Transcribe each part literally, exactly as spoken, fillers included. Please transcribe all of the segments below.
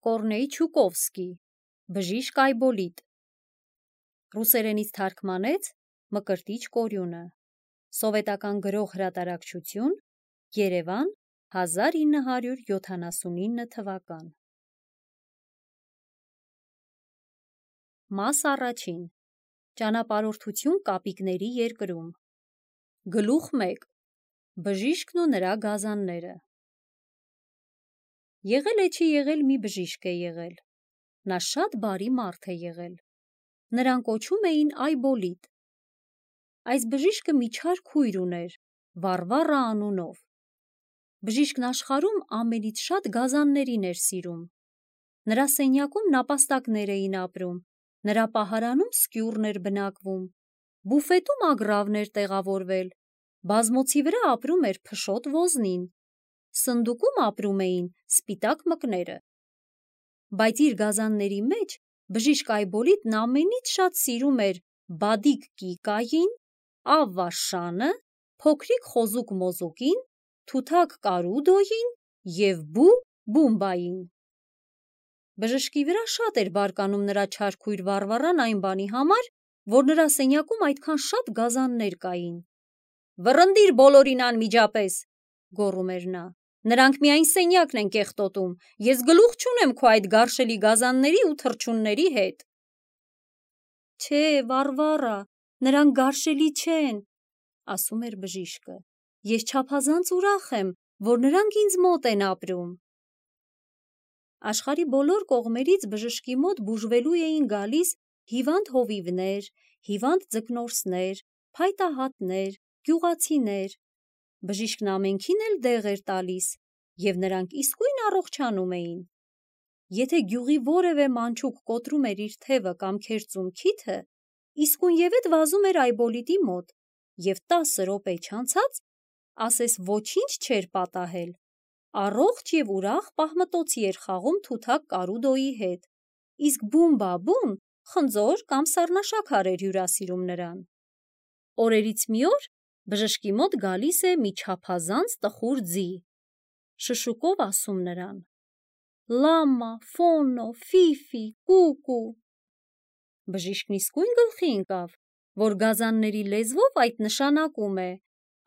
Կորնեյ Չուկովսկի, Բժիշկ Այբոլիտ, ռուսերենից թարգմանեց Մկրտիչ Կորյունը, Սովետական գրող հրատարակչություն, Երևան, հազար ինը հարյուր յոթանասունինը թվական։ Մաս առաջին. Ճանապարհորդություն կապիկների երկրում։ Գլուխ մեկ. Բժիշկն ու նրա գազանները։ Եղել է չի եղել մի բժիշկ է եղել։ Նա շատ բարի մարդ է եղել։ Նրան կոչում էին Այբոլիտ։ Այս բժիշկը մի չար քույր ուներ, Վարվառա անունով։ Բժիշկն աշխարհում ամենից շատ գազաններին էր սիրում։ Նրա սենյակում նապաստակներ էին ապրում, նրա պահարանում սկյուռն էր բնակվում, բուֆետում ագռավն էր տեղավորվել, բազմոցի վրա ապրում էր փշոտ ոզնին, սնդուկում ապրում էին սպիտակ մկները։ Բայց իր գազանների մեջ բժիշկ Այբոլիտն ամենից շատ սիրում էր Բադիկ Կիկային, Ավվա փոքրիկ խոզուկ Մոզուկին, Թութակ Կարուդոյին և Բու Բումբային։ Բժշկի վրա շատ էր բարկանում նրա չար քույր Վարվառան այն բանի համար, որ նրա սենյակում այդքան շատ գազաններ կային։ «Վռնդիր բոլորին անմիջապես», գոռում էր նա, «նրանք միայն սենյակն են կեղտոտում, ես գլուխ չունեմ քո այդ գարշելի գազանների ու թռչունների հետ»։ «Չէ, Վարվառա, նրանք գարշելի չեն», ասում էր բժիշկը, «ես չափազանց ուրախ եմ, որ նրանք ինձ մոտ են ապրում»։ Աշխարհի բոլոր կողմերից բժշկի մոտ բուժվելու էին գալիս հիվանդ հովիվներ, հիվանդ ձկնորսներ, փայտահատներ, գյուղացիներ։ Բժիշկն ամենքին էլ դեղ էր տալիս, և նրանք իսկույն առողջանում էին։ Եթե գյուղի որևէ մանչուկ կոտրում էր իր թևը կամ քերծում քիթը, իսկույնևեթ վազում էր Այբոլիտի մոտ, և տասը րոպե չանցած, ասես ոչինչ չէր պատահել, առողջ և ուրախ պահմտոցի էր խաղում Թութակ Կարուդոյի հետ, իսկ Բումբա-Բուն խնձոր կամ սառնաշաքար էր հյուրասիրում նրան։ Օրերից մի օր բժշկի մոտ գալիս է մի չափազանց տխուր ձի, շշուկով ասում նրան. «Լամա, Ֆոնո, Ֆիֆի, Կուկու»։ Բժիշկն իսկույն գլխի ընկավ, որ գազանների լեզվով այդ նշանակում է.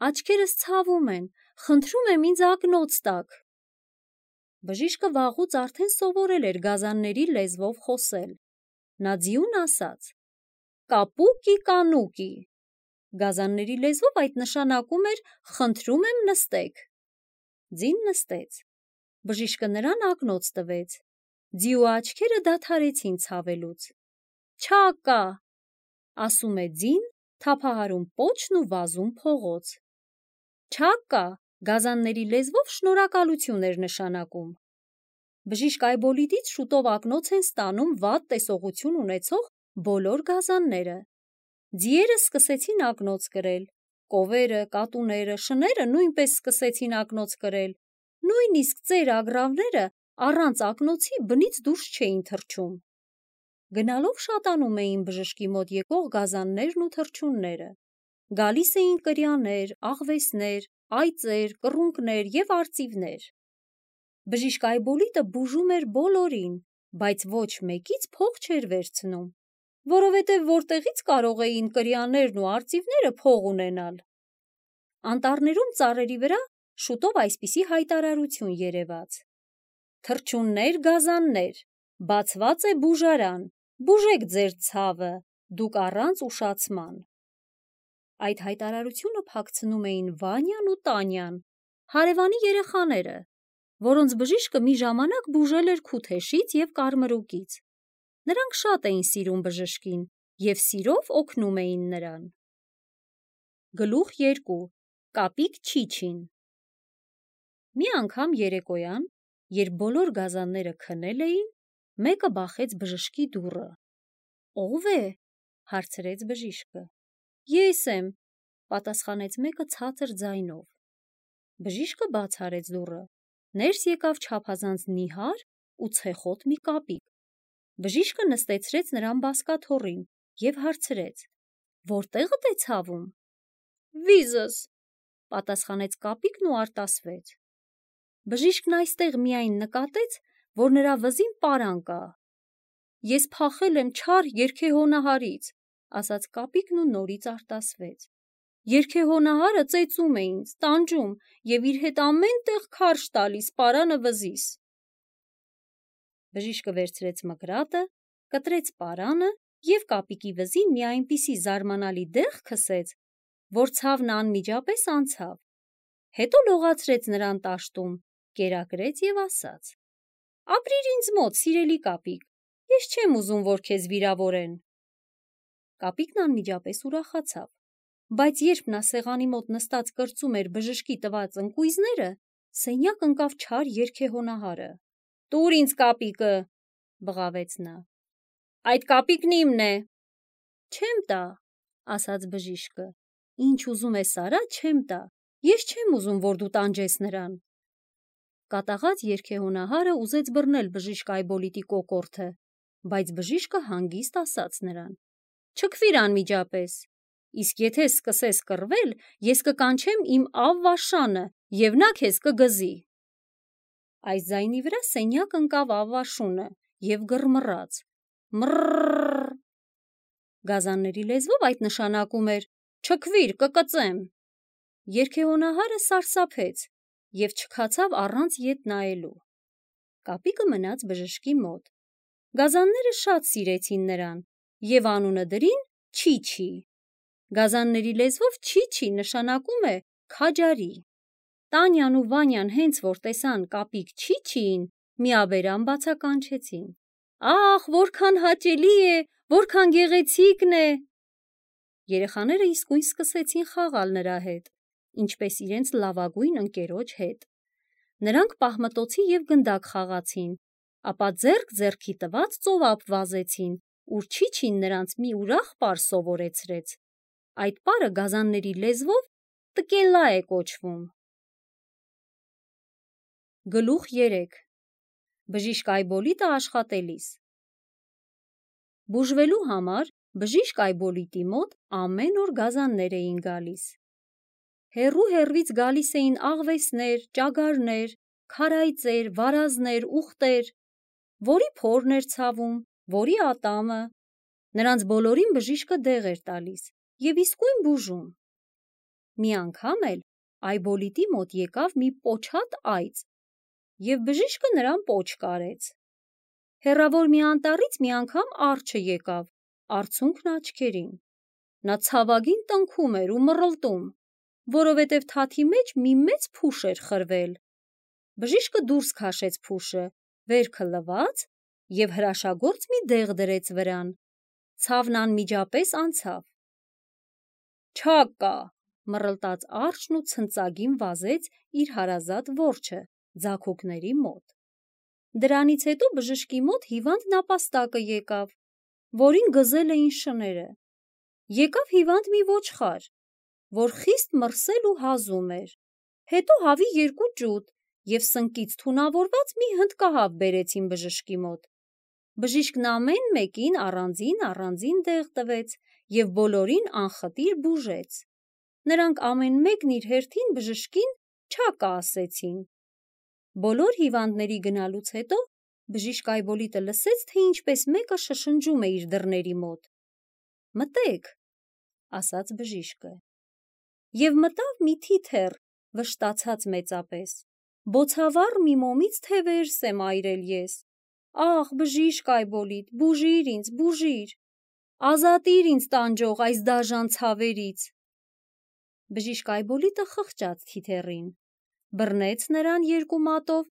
«Աչքերս ցավում են, խնդրում եմ ինձ ակնոց տաք»։ Բժիշկը վաղուց արդեն սովորել էր գազանների լեզվով խոսել։ Նա ձիուն ասաց. «Կապուկի կանուկի»։ Գազանների լեզվով այդ նշանակում էր «խնդրում եմ նստեք»։ Ձին նստեց։ Բժիշկը նրան ակնոց տվեց։ Ձիու աչքերը դադարեցին ցավելուց։ «Չակա», ասում է ձին, թափահարում պոչն ու վազում փողոց։ Չակա գազանների լեզվով շնորհակալություն էր նշանակում։ Բժիշկ Այբոլիտից շուտով ակնոց են ստանում վատ տեսողություն ունեցող բոլոր գազանները։ Ձիերը սկսեցին ակնոց կրել, կովերը, կատուները, շները նույնպես սկսեցին ակնոց կրել, նույնիսկ ծեր ագռավները առանց ակնոցի բնից դուրս չէին թռչում։ Գնալով շատանում էին բժշկի մոտ եկող գազաններն ու թռչունները։ Գալիս էին կրյաներ, աղվեսներ, այծեր, կռունկներ և արծիվներ։ Բժիշկ Այբոլիտը բուժում էր բոլորին, բայց ոչ մեկից փող չէր վերցնում, որովհետև որտեղից կարող էին կրյաներն ու արծիվները փող ունենալ։ Անտառներում ծառերի վրա շուտով այսպիսի հայտարարություն երևաց. «Թռչուններ, գազաններ, բացված է բուժարան, բուժեք ձեր ցավը, դուք առանց ուշացման»։ Այդ հայտարարությունը փակցնում էին Վանյան ու Տանյան, հարևանի երեխաները, որոնց բժիշկը մի ժամանակ բուժել էր քութեշից և կարմրուկից։ Նրանք շատ էին սիրում բժշկին և սիրով օգնում էին նրան։ Գլուխ երկու. Կապիկ Չիչին։ Մի անգամ երեկոյան, երբ բոլոր գազանները քնել էին, մեկը բախեց բժշկի դուռը։ «Ո՞վ է»։ հարցրեց բժիշկը։ «Ես եմ», պատասխանեց մեկը ցածր ձայնով։ Բժիշկը բաց արեց դուռը։ Ներս եկավ չափազանց նիհար ու ցեխոտ մի կապիկ։ Բժիշկը նստեցրեց նրան բազկաթոռին և հարցրեց. «Որտեղդ է ցավում»։ «Վիզս», պատասխանեց կապիկն ու արտասվեց։ Բժիշկն այստեղ միայն նկատեց, որ նրա վզին պարան կա։ Ես փախել եմ չար երգեհոնահարից, ասաց կապիկն ու նորից արտասվեց։ Երգեհոնահարը ծեծում է ինձ, տանջում և իր հետ ամեն տեղ քարշ տալիս պարանը վզիս։ Բժիշկը վերցրեց մկրատը, կտրեց պարանը և կապիկի վզին մի այնպիսի զարմանալի դեղ քսեց, որ ցավն անմիջապես անցավ։ Հետո լողացրեց նրան տաշտում, կերակրեց և ասաց. «Ապրիր ինձ մոտ, սիրելի կապիկ, ես չեմ ուզում, որ քեզ վիրավորեն»։ Կապիկն անմիջապես ուրախացավ, բայց երբ նա սեղանի մոտ նստած կրծում էր բժշկի տված ընկույզները, սենյակ ընկավ չար երգեհոնահարը։ «Տուր ինձ կապիկը», բղավեց նա։ «Այդ կապիկն իմն է»։ «Չեմ տա», ասաց բժիշկը։ «Ինչ ուզում ես արա, չեմ տա, ես չեմ ուզում, որ դու տանջես նրան»։ Կատաղած երգեհոնահարը ուզեց բռնել բժիշկ Այբոլիտի կոկորդը, բայց բժիշկը հանգիստ ասաց նրան. «Չքվիր անմիջապես, իսկ եթե սկսես կռվել, ես կկանչեմ իմ Ավվաշանը, և նա քեզ կգզի»։ Այս ձայնի վրա սենյակ ընկավ Ավվաշունը և գռմռաց. «Մռռռռ»։ Գազանների լեզվով այդ նշանակում էր. «Չքվիր, կկծեմ»։ Երգեհոնահարը սարսափեց և չքացավ առանց ետ նայելու։ Կապիկը մնաց բժշկի մոտ։ Գազանները շատ սիրեցին նրան և անունը դրին Չիչի։ Գազանների լեզվով Չիչի նշանակում է քաջարի։ Տանյան ու Վանյան հենց որ տեսան կապիկ Չիչիին, միաբերան բացականչեցին. «Ախ, որքան հաճելի է, որքան գեղեցիկն է»։ Երեխաները իսկույն սկսեցին խաղալ նրա հետ, ինչպես իրենց լավագույն ընկերոջ հետ։ Նրանք պահմտոցի և գնդակ խաղացին, ապա ձեռք ձեռքի տված ծովափ վազեցին, ուր Չիչին նրանց մի ուրախ պար սովորեցրեց։ Այդ պարը գազանների լեզվով տկելա է կոչվում։ Գլուխ երեք. Բժիշկ Այբոլիտը աշխատելիս։ Բուժվելու համար բժիշկ Այբոլիտի մոտ ամեն օր գազաններ էին գալիս։ Հեռու հեռվից գալիս էին աղվեսներ, ճագարներ, քարայծեր, վարազներ, ուղտեր, որի փորն էր ցավում, որի ատամը։ Նրանց բոլորին բժիշկը դեղ էր տալիս և իսկույն բուժում։ Մի անգամ էլ Այբոլիտի մոտ եկավ մի պոչատ այծ, և բժիշկը նրան պոչ կարեց։ Հեռավոր մի անտառից մի անգամ արջը եկավ, արցունքն աչքերին։ Նա ցավագին տնքում էր ու մռլտում, որովհետև թաթի մեջ մի մեծ փուշ էր խրվել։ Բժիշկը դուրս քաշեց փուշը, վերքը լվաց և հրաշագործ մի դեղ դրեց վրան։ Ցավն անմիջապես անցավ։ «Չակ կա», մռլտաց արջն ու ցնծագին վազեց իր հարազատ որջը ձագողների մոտ։ Դրանից հետո բժշկի մոտ հիվանդ նապաստակը եկավ, որին գզել էին շները։ Եկավ հիվանդ մի ոչխար, որ խիստ մրսել ու հազում էր։ Հետո հավի երկու ճուտ և սնկից թունավորված մի հնդկահավ բերեցին բժշկի մոտ։ Բժիշկն ամեն մեկին առանձին-առանձին դեղ տվեց և բոլորին անխտիր բուժեց։ Նրանք ամեն մեկն իր հերթին բժշկին «Չակա» ասեցին։ Բոլոր հիվանդների գնալուց հետո բժիշկ Այբոլիտը լսեց, թե ինչպես մեկը շշնջում է իր դռների մոտ։ «Մտե՛ք», ասաց բժիշկը։ Եվ մտավ մի թիթեռ, վշտացած մեծապես։ «Բոցավառ մի մոմից թե վերս եմ այրել ես։ Ախ, բժիշկ Այբոլիտ, բուժիր ինձ, բուժիր, ազատիր ինձ տանջող այս դաժան ցավերից»։ Բժիշկ Այբոլիտը խղճաց թիթեռին, բռնեց նրան երկու մատով,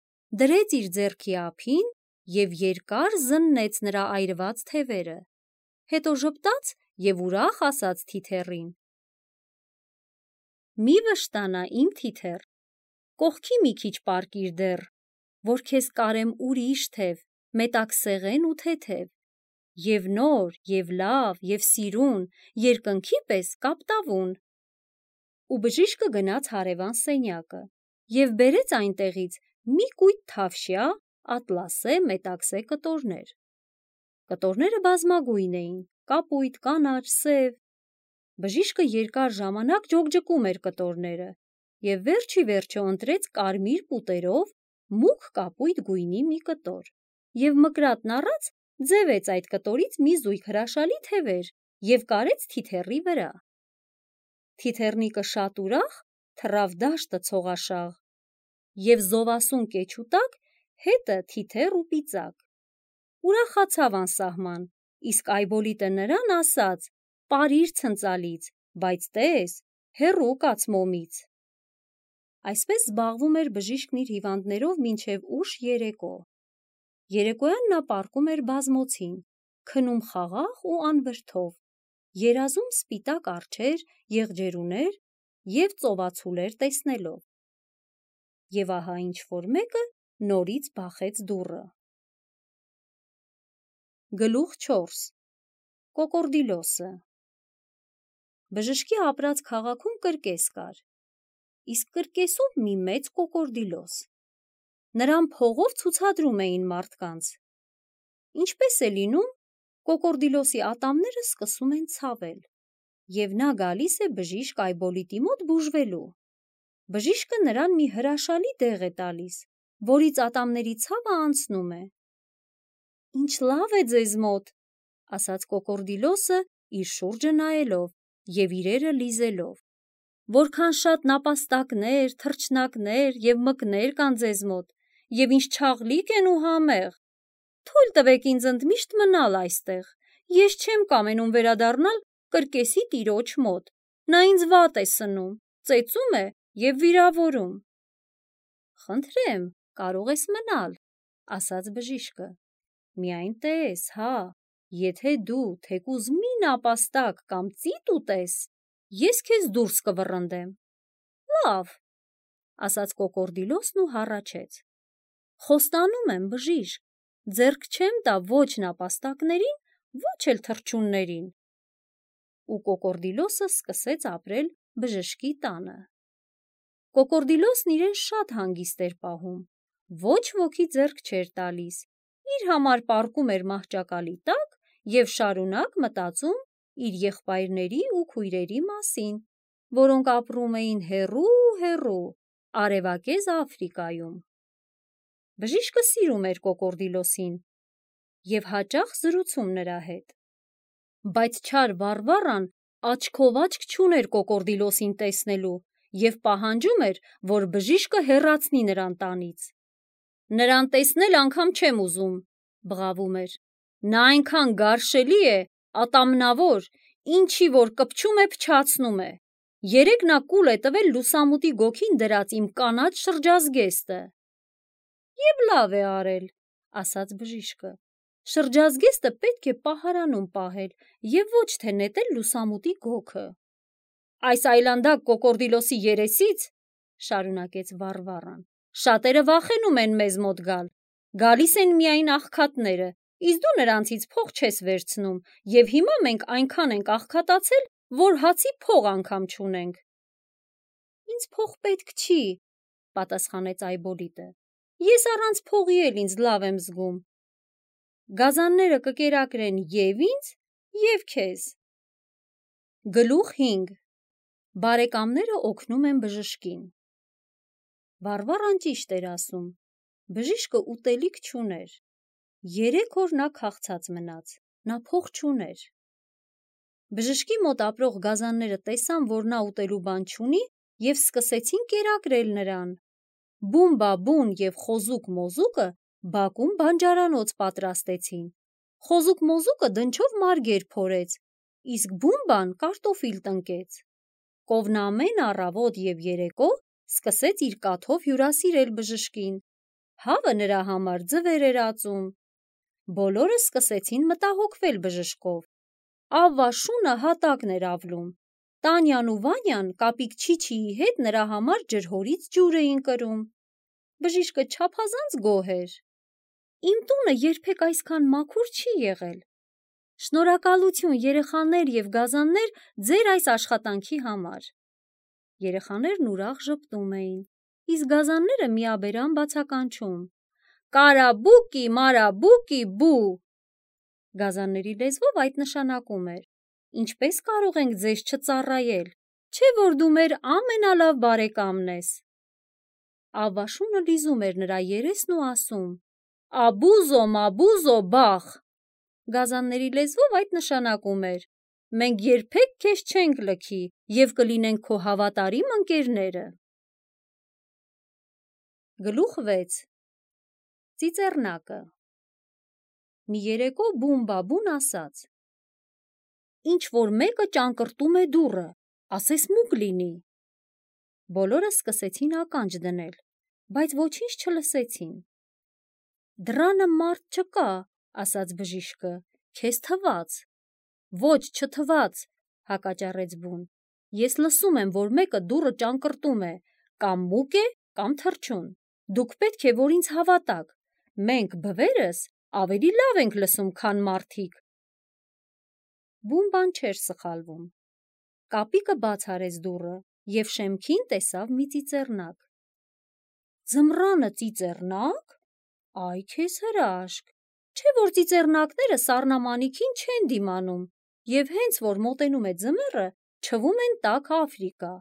դրեց իր ձեռքի ափին և երկար զննեց նրա այրված թևերը։ Հետո ժպտաց և ուրախ ասաց թիթեռին. «Մի վշտանա, իմ թիթեռ, կողքի մի քիչ պառկիր դեռ, որ քեզ կարեմ ուրիշ թև, մետաքսեղեն ու թեթև, և նոր, և լավ, և սիրուն, երկնքի պես կապտավուն»։ Ու բժիշկը գնաց հարևան սենյակը և բերեց այնտեղից մի կույտ թավշյա, ատլասե, մետաքսե կտորներ։ Կտորները բազմագույն էին՝ կապույտ, կանաչ, սև։ Բժիշկը երկար ժամանակ ջոկջկում էր կտորները և վերջ ի վերջո ընտրեց կարմիր պուտերով մուգ կապույտ գույնի մի կտոր, և մկրատն առած ձևեց այդ կտորից մի զույգ հրաշալի թևեր և կարեց թիթեռի վրա։ Թիթեռնիկը շատ ուրախ թռավ դաշտը ցողաշաղ, և զովասուն կեչուտակ հետը թիթեռ ու պիծակ։ Ուրախացավ անսահման, իսկ Այբոլիտը նրան ասաց. «Պարիր ցնծալից, բայց տես, հեռու կաց մոմից»։ Այսպես զբաղվում էր բժիշկն իր հիվանդներով մինչև ուշ երեկո։ Երեկոյան նա պառկում էր բազմոցին, քնում խաղաղ ու անվրդով, երազում սպիտակ արջեր, եղջերուներ և ծովածուլեր տեսնելով։ Եվ ահա ինչ-որ մեկը նորից բախեց դուռը։ Գլուխ չորս. Կոկորդիլոսը։ Բժշկի ապրած քաղաքում կրկես կար, իսկ կրկեսում մի մեծ կոկորդիլոս։ Նրան փողով ցուցադրում էին մարդկանց։ Ինչպես է լինում, կոկորդիլոսի ատամները սկսում են ցավել, և նա գալիս է բժիշկ Այբոլիտի մոտ բուժվելու։ Բժիշկը նրան մի հրաշալի դեղ է տալիս, որից ատամների ցավը անցնում է։ «Ինչ լավ է ձեզ մոտ», ասաց կոկորդիլոսը իր շուրջը նայելով և իրերը լիզելով։ «Որքան շատ նապաստակներ, թռչնակներ և մկներ կան ձեզ մոտ, և ինչ չաղլիկ են ու համեղ։ Թույլ տվեք ինձ ընդմիշտ մնալ այստեղ, ես չեմ կամենում վերադառնալ կրկեսի տիրոջ մոտ, նա ինձ վատ է սնում, ծեծում է և վիրավորում»։ «Խնդրեմ, կարող ես մնալ», ասաց բժիշկը, «միայն տես, հա, եթե դու թեկուզ մի նապաստակ կամ ծիտ ուտես, ես քեզ դուրս կվռնդեմ»։ «Լավ», ասաց կոկորդիլոսն ու հառաչեց։ «Խոստանում եմ, բժիշկ, ձեռք չեմ տա ոչ նապաստակներին, ոչ էլ թռչուններին»։ Ու կոկորդիլոսը սկսեց ապրել բժշկի տանը։ Կոկորդիլոսն իրեն շատ հանգիստ էր պահում, ոչ ոքի ձեռք չէր տալիս, իր համար պառկում էր մահճակալի տակ և շարունակ մտածում իր եղբայրների ու քույրերի մասին, որոնք ապրում էին հեռու-հեռու արևակեզ Աֆրիկայում։ Բժիշկը սիրում էր կոկորդիլոսին և հաճախ զրուցում նրա հետ։ Բայց չար Վարվառան աչքով աչք չուներ կոկորդիլոսին տեսնելու և պահանջում էր, որ բժիշկը հեռացնի նրան տանից։ «Նրան տեսնել անգամ չեմ ուզում», բղավում էր, «նա այնքան գարշելի է, ատամնավոր, ինչի որ կպչում է, փչացնում է։ Երեկ նա կուլ է տվել լուսամուտի գոգին դրած իմ կանաչ շրջազգեստը»։ «Եվ լավ է արել», ասաց բժիշկը, «շրջազգեստը պետք է պահարանում պահել և ոչ թե նետել լուսամուտի գոգը»։ «Այս այլանդակ կոկորդիլոսի երեսից, շարունակեց Վարվառան, շատերը վախենում են մեզ մոտ գալ, գալիս են միայն աղքատները, իսկ դու նրանցից փող չես վերցնում, և հիմա մենք այնքան ենք աղքատացել, որ հացի փող անգամ չունենք»։ «Ինձ փող պետք չի», պատասխանեց Այբոլիտը, «ես առանց փողի էլ ինձ լավ եմ զգում։ Գազանները կկերակրեն և ինձ, և քեզ»։ Գլուխ հինգ. Բարեկամները օգնում են բժշկին։ Վարվառան ճիշտ էր ասում, բժիշկը ուտելիք չուներ։ Երեք օր նա քաղցած մնաց, նա փող չուներ։ Բժշկի մոտ ապրող գազանները տեսան, որ նա ուտելու բան չունի, և սկսեցին կերակրել նրան։ Բումբա-բուն և Խոզուկ-մոզուկը բակում բանջարանոց պատրաստեցին։ Խոզուկ-մոզուկը դնչով մարգեր փորեց, իսկ Բումբան կարտոֆիլ տնկեց։ Կովն ամեն առավոտ և երեկո սկսեց իր կաթով հյուրասիրել բժշկին, հավը նրա համար ձվեր էր ածում։ Բոլորը սկսեցին մտահոգվել բժշկով։ Ավվա շունը հատակն էր ավլում, Տանյան ու Վանյան կապիկ Չիչիի հետ նրա համար ջրհորից ջուր էին կրում։ Բժիշկը չափազանց գոհ էր։ «Իմ տունը երբեք այսքան մաքուր չի եղել։ Շնորհակալություն, երեխաներ և գազաններ, ձեր այս աշխատանքի համար»։ Երեխաներն ուրախ ժպտում էին, իսկ գազանները միաբերան բացականչում. «Կարաբուկի, մարաբուկի, բու»։ Գազանների լեզվով այդ նշանակում էր. «Ինչպես կարող ենք ձեզ չծառայել, չէ՞ որ դու մեր ամենալավ բարեկամն ես»։ Ավաշունը լիզում էր նրա երեսն ու ասում. «Աբուզո, մաբուզո, բախ»։ Գազանների լեզվով այդ նշանակում էր. «Մենք երբեք քեզ չենք լքի և կլինենք քո հավատարիմ ընկերները»։ Գլուխ վեց. Ծիծեռնակը։ Մի երեկո Բուն-Բաբուն ասաց. «Ինչ որ մեկը ճանկռտում է դուռը, ասես մուկ լինի»։ Բոլորը սկսեցին ականջ դնել, բայց ոչինչ չլսեցին։ «Դռանը մարդ չկա», ասաց բժիշկը, «քեզ թվաց»։ «Ոչ, չթվաց», հակաճառեց Բուն, «ես լսում եմ, որ մեկը դուռը ճանկռտում է, կամ մուկ է, կամ թռչուն։ Դուք պետք է, որ ինձ հավատաք, մենք, բվերս, ավելի լավ ենք լսում, քան մարդիկ»։ Բուն բան չէր սխալվում։ Կապիկը բաց արեց դուռը և շեմքին տեսավ մի ծիծեռնակ։ «Ձմռանը ծիծեռնա՞կ, այ քեզ հրաշք, չէ՞ որ ծիծեռնակները սառնամանիքին չեն դիմանում և հենց որ մոտենում է ձմեռը, չվում են տաք Աֆրիկա։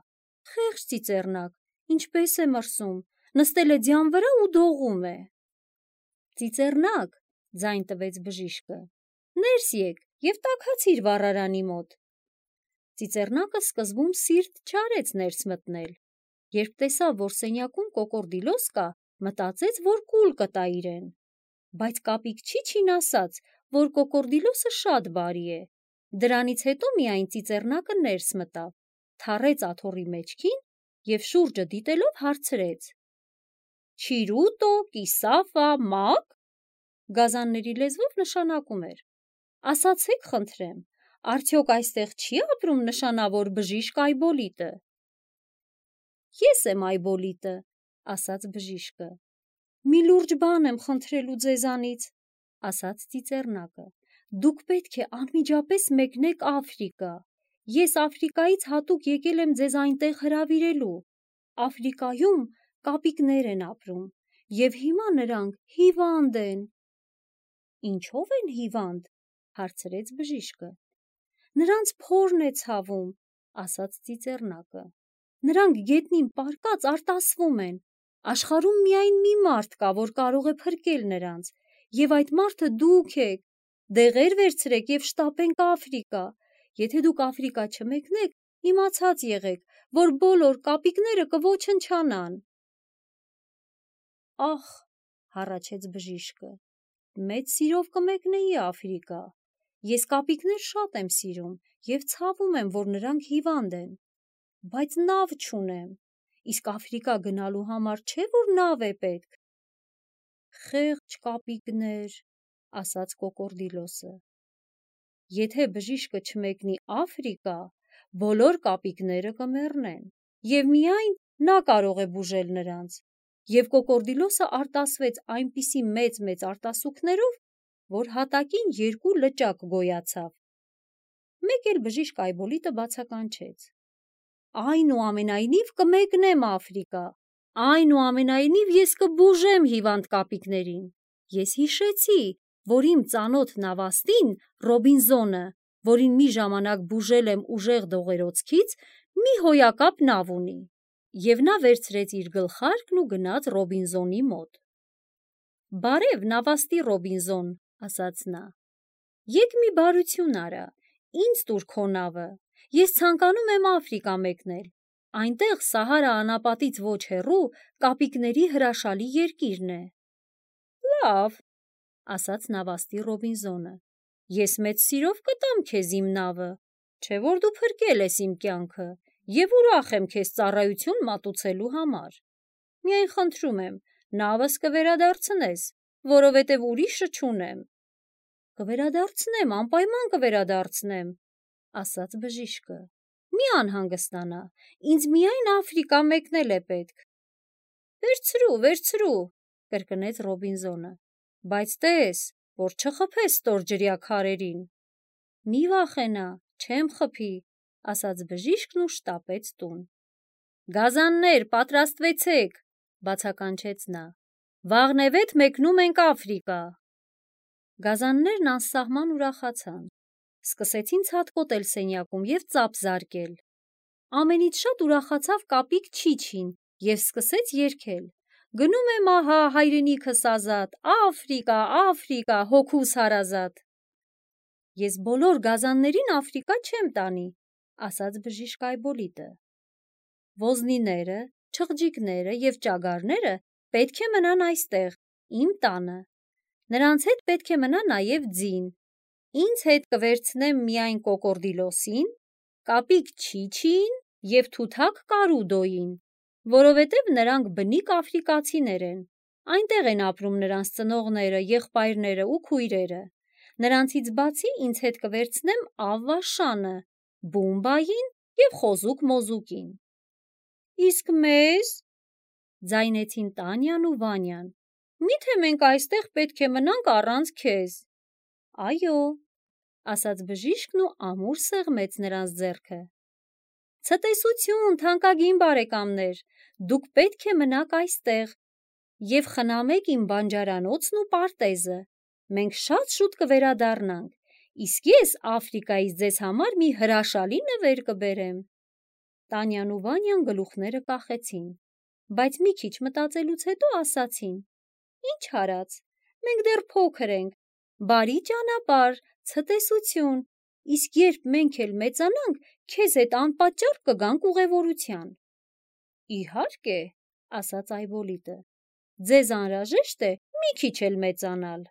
Խեղճ ծիծեռնակ, ինչպես է մրսում, նստել է ձյան վրա ու դողում է»։ «Ծիծեռնակ», ձայն տվեց բժիշկը, «ներս եկ և տաքացիր վառարանի մոտ»։ Ծիծեռնակը սկզբում սիրտ չարեց ներս մտնել։ Երբ տեսավ, որ սենյակում կոկորդիլոս կա, մտածեց, որ կուլ կտա իրեն։ Բայց Կապիկ Չիչին ասաց, որ կոկորդիլոսը շատ բարի է։ Դրանից հետո միայն ծիծեռնակը ներս մտավ, թռեց աթոռի մեջքին և շուրջը դիտելով հարցրեց. «Չիրուտո, կիսաֆա, մա՞կ»։ Գազանների լեզվով նշանակում էր. «Ասացեք խնդրեմ, արդյոք այստեղ չի՞ ապրում նշանավոր բժիշկ Այբոլիտը»։ «Ես եմ Այբոլիտը», ասաց բժիշկը։ «Մի լուրջ բան եմ խնդրելու ձեզանից», ասաց ծիծեռնակը։ «Դուք պետք է անմիջապես մեկնեք Աֆրիկա։ Ես Աֆրիկայից հատուկ եկել եմ ձեզ այնտեղ հրավիրելու։ Աֆրիկայում կապիկներ են ապրում, և հիմա նրանք հիվանդ են»։ «Ինչո՞վ են հիվանդ», հարցրեց բժիշկը։ «Նրանց փորն է ցավում», ասաց ծիծեռնակը։ «Նրանք գետնին պառկած արտասվում են։ Աշխարհում միայն մի մարդ կա, որ կարող է փրկել նրանց, և այդ մարդը դուք եք։ Դեղեր վերցրեք և շտապենք Աֆրիկա։ Եթե դուք Աֆրիկա չմեկնեք, իմացած եղեք, որ բոլոր կապիկները կոչնչանան»։ «Ախ», հառաչեց բժիշկը, «մեծ սիրով կմեկնեի Աֆրիկա։ Ես կապիկներ շատ եմ սիրում և ցավում եմ, որ նրանք հիվանդ են։ Բայց նավ չունեմ, իսկ Աֆրիկա գնալու համար չէ՞ որ նավ է պետք»։ «Խեղճ կապիկներ», ասաց կոկորդիլոսը։ «Եթե բժիշկը չմեկնի Աֆրիկա, բոլոր կապիկները կմեռնեն, և միայն նա կարող է բուժել նրանց»։ Եվ կոկորդիլոսը արտասվեց այնպիսի մեծ-մեծ արտասուքներով, որ հատակին երկու լճակ գոյացավ։ Մեկ էլ բժիշկ Այբոլիտը բացականչեց. «Այնուամենայնիվ կմեկնեմ Աֆրիկա, այնուամենայնիվ ես կբուժեմ հիվանդ կապիկներին։ Ես հիշեցի, որ իմ ծանոթ նավաստին Ռոբինզոնը, որին մի ժամանակ բուժել եմ ուժեղ դողերոցքից, մի հոյակապ նավ ունի»։ Եվ նա վերցրեց իր գլխարկն ու գնաց Ռոբինզոնի մոտ։ «Բարև, նավաստի Ռոբինզոն», ասաց նա։ «Եկ մի բարություն արա, ինձ տուր քո նավը, ես ցանկանում եմ Աֆրիկա մեկնել։ Այնտեղ Սահարա անապատից ոչ հեռու կապիկների հրաշալի երկիրն է»։ «Լավ», ասաց նավաստի Ռոբինզոնը, «ես մեծ սիրով կտամ քեզ իմ նավը, չէ՞ որ դու փրկել ես իմ կյանքը, և ուրախ եմ քեզ ծառայություն մատուցելու համար։ Միայն խնդրում եմ, նավս կվերադարձնես, որովհետև ուրիշը չունեմ»։ «Կվերադարձնեմ, անպայման կվերադարձնեմ», ասաց բժիշկը։ «Մի անհանգստանա, ինձ միայն Աֆրիկա մեկնել է պետք»։ «Վերցրու, վերցրու», կրկնեց Ռոբինզոնը, «բայց տես, որ չխփես ստորջրյա քարերին»։ «Մի վախենա, չեմ խփի», ասաց բժիշկն ու շտապեց տուն։ «Գազաններ, պատրաստվեցեք», բացականչեց նա, «վաղնևեթ մեկնում ենք Աֆրիկա»։ Գազաններն անսահման ուրախացան։ Սկսեցին ցատկոտել սենյակում և ծափ զարկել։ Ամենից շատ ուրախացավ կապիկ Չիչին և սկսեց երգել. Գնում եմ ահա հայրենիքս ազատ, Աֆրիկա, Աֆրիկա, հոգուս հարազատ։ Ես բոլոր գազաններին Աֆրիկա չեմ տանի, ասաց բժիշկ Այբոլիտը։ Ոզնիները, չղջիկները և ճագարները պետք է մնան այստեղ, իմ տանը։ Նրանց հետ պետք է մնա նաև ձին։ Ինձ հետ կվերցնեմ միայն կոկորդիլոսին, կապիկ Չիչիին և թութակ Կարուդոյին, որովհետև նրանք բնիկ աֆրիկացիներ են։ Այնտեղ են ապրում նրանց ծնողները, եղբայրները ու քույրերը։ Նրանցից բացի ինձ հետ կվերցնեմ Ավվաշանը, Բումբային և Խոզուկ Մոզուկին։ Իսկ մեզ, ձայնեցին Տանյան ու Վանյան, միթե մենք այստեղ պետք է մնանք առանց քեզ։ Այո, ասաց բժիշկն ու ամուր սեղմեց նրանց ձեռքը։ Ցտեսություն, թանկագին բարեկամներ, դուք պետք է մնաք այստեղ և խնամեք իմ բանջարանոցն ու պարտեզը։ Մենք շատ շուտ կվերադառնանք, իսկ ես Աֆրիկայից ձեզ համար մի հրաշալի նվեր կբերեմ։ Տանյան ու Վանյան գլուխները կախեցին, բայց մի քիչ մտածելուց հետո ասացին. Ինչ արած, մենք դեռ փոքր ենք, բարի ճանապարհ, ցտեսություն, իսկ երբ մենք էլ մեծանանք, քեզ հետ անպատճառ կգանք ուղևորության։ Իհարկե, ասաց Այբոլիտը, ձեզ անհրաժեշտ է մի քիչ էլ մեծանալ։